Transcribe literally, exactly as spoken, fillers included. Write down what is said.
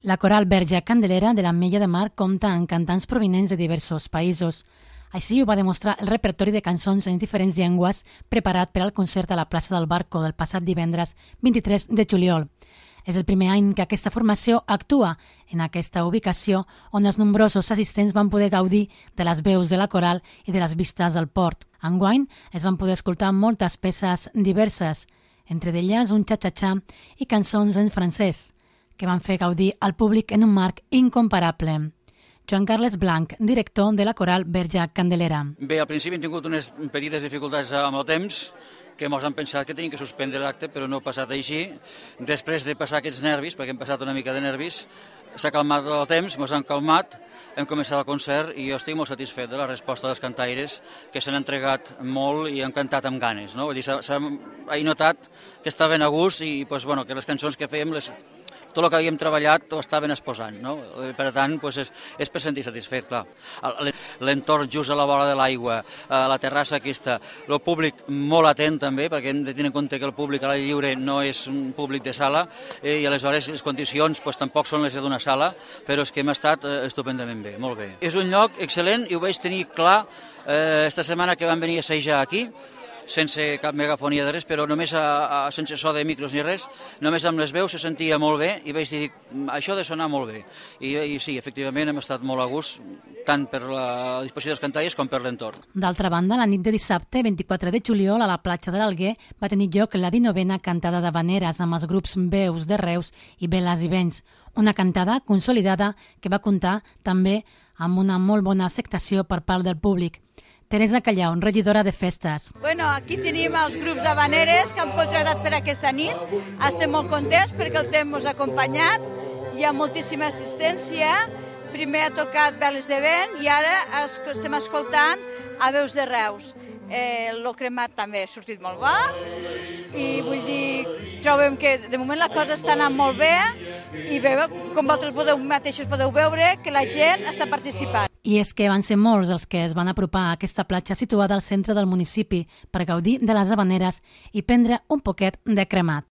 La coral Verge Candelera de l'Ametlla de Mar compta amb cantants provinents de diversos països. Així ho va demostrar el repertori de cançons en diferents llengües preparat per al concert a la plaça del Barco del passat divendres vint-i-tres de juliol. És el primer any que aquesta formació actua en aquesta ubicació on els nombrosos assistents van poder gaudir de les veus de la coral i de les vistes del port. Enguany es van poder escoltar moltes peces diverses, entre d'elles un xa-xa-xa i cançons en francès, que van fer gaudir al públic en un marc incomparable. Joan Carles Blanc, director de la coral Verge Candelera. Bé, al principi hem tingut unes petites dificultats amb el temps, que ens han pensat que tenim que suspendre l'acte, però no ha passat així. Després de passar aquests nervis, perquè hem passat una mica de nervis, s'ha calmat el temps, ens han calmat, hem començat el concert i jo estic molt satisfet de la resposta dels cantaires, que s'han entregat molt i han cantat amb ganes. No? Vull dir, s'ha notat que estaven a gust i pues, bueno, que les cançons que fèiem, les, tot el que havíem treballat ho estaven exposant. No? Per tant, pues, és, és per sentir satisfet, clar. L'entorn just a la vora de l'aigua, la terrassa aquesta, el públic molt atent també, perquè hem de tenir en compte que el públic a l'aire lliure no és un públic de sala eh, i aleshores les condicions pues, tampoc són les d'una sala, però és que hem estat eh, estupendament bé, molt bé. És un lloc excel·lent i ho vaig tenir clar eh, esta setmana que van venir a assajar aquí, sense cap megafonia de res, però només a, a, sense so de micros ni res, només amb les veus se sentia molt bé i vaig dir, això ha de sonar molt bé. I, i sí, efectivament hem estat molt a gust, tant per la disposició dels cantaires com per l'entorn. D'altra banda, la nit de dissabte, vint-i-quatre de juliol, a la platja de l'Alguer, va tenir lloc la dinovena cantada d'havaneres amb els grups Veus de Reus i Veles i Vents, una cantada consolidada que va comptar també amb una molt bona acceptació per part del públic. Teresa Callau, regidora de festes. Bueno, aquí tenim els grups d'havaneres que hem contratat per aquesta nit. Estem molt contents perquè el temps ens ha acompanyat. Hi ha moltíssima assistència. Primer ha tocat Veles de Vent i ara estem escoltant a Veus de Reus. Eh, Lo cremat també ha sortit molt bo i vull dir, trobem que de moment la cosa està anant molt bé i bé, com vosaltres podeu, mateixos podeu veure que la gent està participant. I és que van ser molts els que es van apropar a aquesta platja situada al centre del municipi per gaudir de les havaneres i prendre un poquet de cremat.